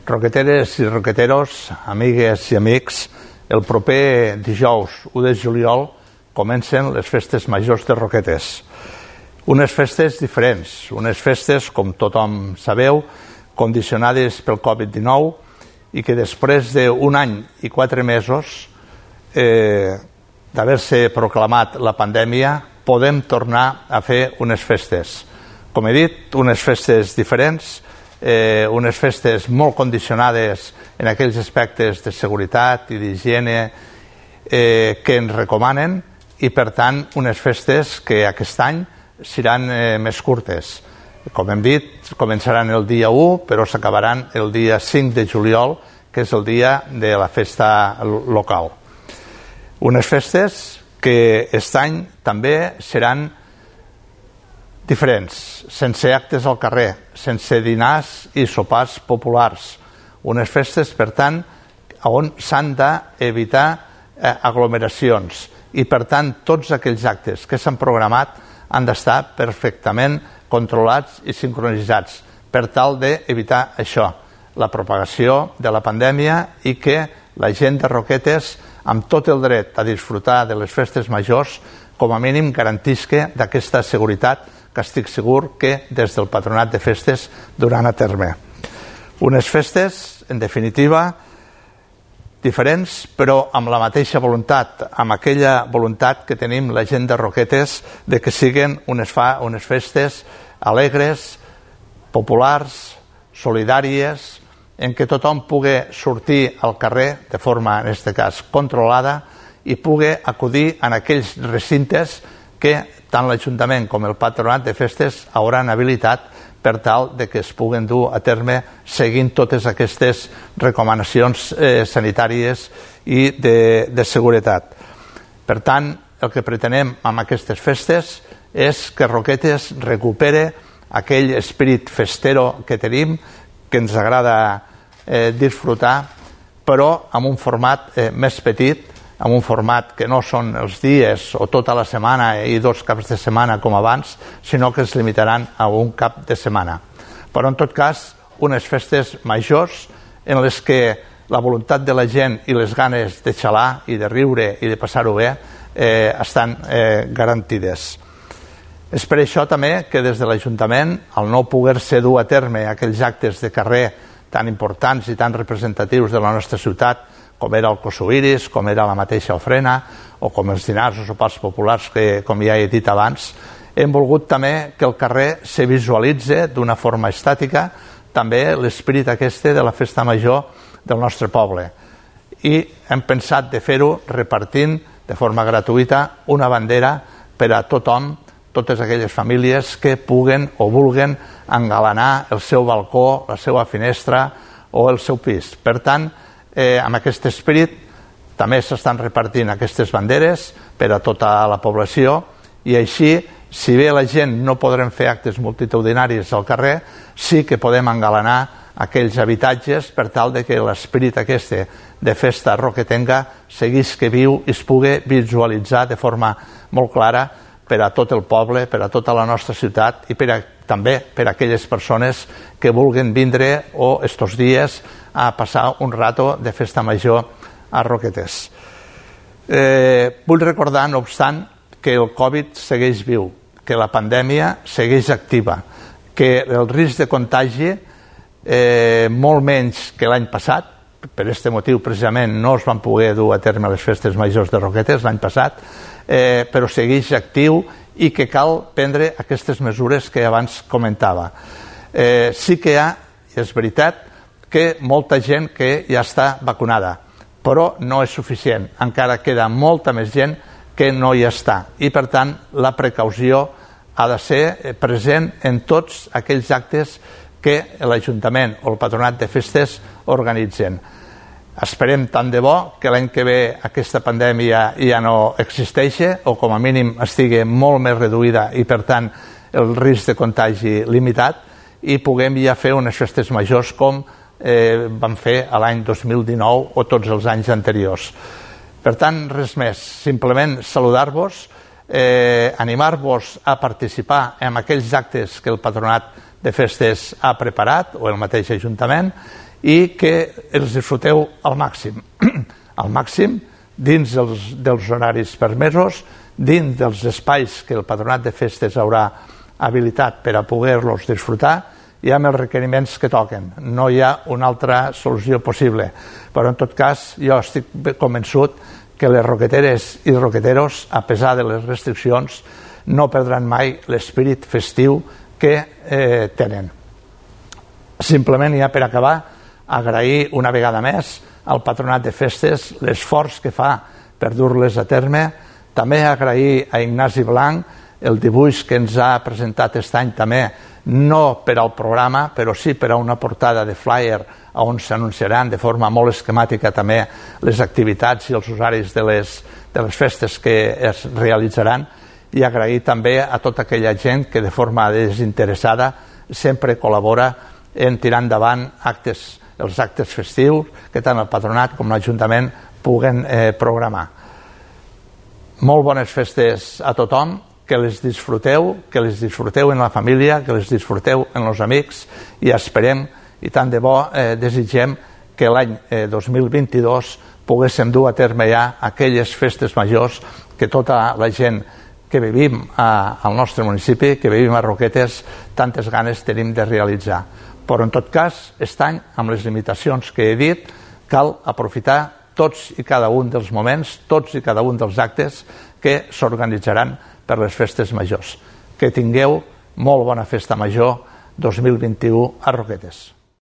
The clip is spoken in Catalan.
Roqueteres i roqueteros, amigues i amics, el proper dijous 1 de juliol comencen les festes majors de Roquetes. Unes festes diferents, unes festes, com tothom sabeu, condicionades pel Covid-19 i que després d'un any i 4 mesos d'haver-se proclamat la pandèmia podem tornar a fer unes festes. Com he dit, unes festes diferents, unes festes molt condicionades en aquells aspectes de seguretat i d'higiene que ens recomanen i, per tant, unes festes que aquest any seran més curtes. Com hem dit, començaran el dia 1, però s'acabaran el dia 5 de juliol, que és el dia de la festa local. Unes festes que aquest any també seran diferents, sense actes al carrer, sense dinars i sopars populars. Unes festes, per tant, on s'han d'evitar aglomeracions i, per tant, tots aquells actes que s'han programat han d'estar perfectament controlats i sincronitzats per tal d'evitar això, la propagació de la pandèmia, i que la gent de Roquetes, amb tot el dret a disfrutar de les festes majors, com a mínim garantisca d'aquesta seguretat que estic segur que des del Patronat de Festes duran a terme. Unes festes, en definitiva, diferents, però amb la mateixa voluntat, amb aquella voluntat que tenim la gent de Roquetes de que siguin unes festes alegres, populars, solidàries, en què tothom pugui sortir al carrer de forma, en aquest cas, controlada i pugui acudir en aquells recintes que tant l'Ajuntament com el Patronat de Festes hauran habilitat per tal de que es puguen dur a terme seguint totes aquestes recomanacions sanitàries i de seguretat. Per tant, el que pretenem amb aquestes festes és que Roquetes recupere aquell esperit festero que tenim, que ens agrada disfrutar, però amb un format més petit, amb un format que no són els dies o tota la setmana i 2 caps de setmana com abans, sinó que es limitaran a un cap de setmana. Però, en tot cas, unes festes majors en les que la voluntat de la gent i les ganes de xalar i de riure i de passar-ho bé estan garantides. És per això també que des de l'Ajuntament, al no poder-se dur a terme aquells actes de carrer tan importants i tan representatius de la nostra ciutat, com era el Cosuiris, com era la mateixa ofrena, o com els dinars o sopars populars que, com ja he dit abans, hem volgut també que el carrer se visualitzi d'una forma estàtica també l'esperit aquest de la festa major del nostre poble. I hem pensat de fer-ho repartint de forma gratuïta una bandera per a tothom, totes aquelles famílies que puguen o vulguen engalanar el seu balcó, la seva finestra o el seu pis. Per tant, amb aquest esperit també s'estan repartint aquestes banderes per a tota la població i així, si bé la gent no podrem fer actes multitudinaris al carrer, sí que podem engalanar aquells habitatges per tal de que l'esperit aquest de festa roquetenga seguís que viu i es pugui visualitzar de forma molt clara per a tot el poble, per a tota la nostra ciutat i també per a aquelles persones que vulguin vindre o estos dies a passar un rato de festa major a Roquetes. Vull recordar, no obstant, que el Covid segueix viu, que la pandèmia segueix activa, que el risc de contagi, molt menys que l'any passat, per aquest motiu precisament no es van poder dur a terme les festes majors de Roquetes l'any passat, però segueix actiu i que cal prendre aquestes mesures que abans comentava. Sí que hi ha, és veritat, que molta gent que ja està vacunada, però no és suficient. Encara queda molta més gent que no hi està. I, per tant, la precaució ha de ser present en tots aquells actes que l'Ajuntament o el Patronat de Festes organitzen. Esperem tant de bo que l'any que ve aquesta pandèmia ja no existeixi o com a mínim estigui molt més reduïda i, per tant, el risc de contagi limitat i puguem ja fer unes festes majors com vam fer l'any 2019 o tots els anys anteriors. Per tant, res més, simplement saludar-vos, animar-vos a participar en aquells actes que el Patronat de Festes ha preparat o el mateix Ajuntament i que els disfruteu al màxim. Al màxim, dins dels horaris permesos, dins dels espais que el Patronat de Festes haurà habilitat per a poder-los disfrutar i amb els requeriments que toquen. No hi ha una altra solució possible. Però, en tot cas, jo estic convençut que les roqueteres i roqueteros, a pesar de les restriccions, no perdran mai l'espírit festiu que tenen. Simplement, ja per acabar, agrair una vegada més al Patronat de Festes l'esforç que fa per dur-les a terme. També agrair a Ignasi Blanc el dibuix que ens ha presentat aquest any també, no per al programa, però sí per a una portada de flyer on s'anunciaran de forma molt esquemàtica també les activitats i els horaris de les festes que es realitzaran, i agrair també a tota aquella gent que de forma desinteressada sempre col·labora en tirar endavant els actes festius que tant el Patronat com l'Ajuntament puguen programar. Molt bones festes a tothom, que les disfruteu en la família, que les disfruteu en els amics, i esperem, i tant de bo desitgem, que l'any 2022 poguéssim dur a terme ja aquelles festes majors que tota la gent que vivim al nostre municipi, que vivim a Roquetes, tantes ganes tenim de realitzar. Però, en tot cas, aquest any, amb les limitacions que he dit, cal aprofitar tots i cada un dels moments, tots i cada un dels actes que s'organitzaran per les festes majors. Que tingueu molt bona festa major 2021 a Roquetes.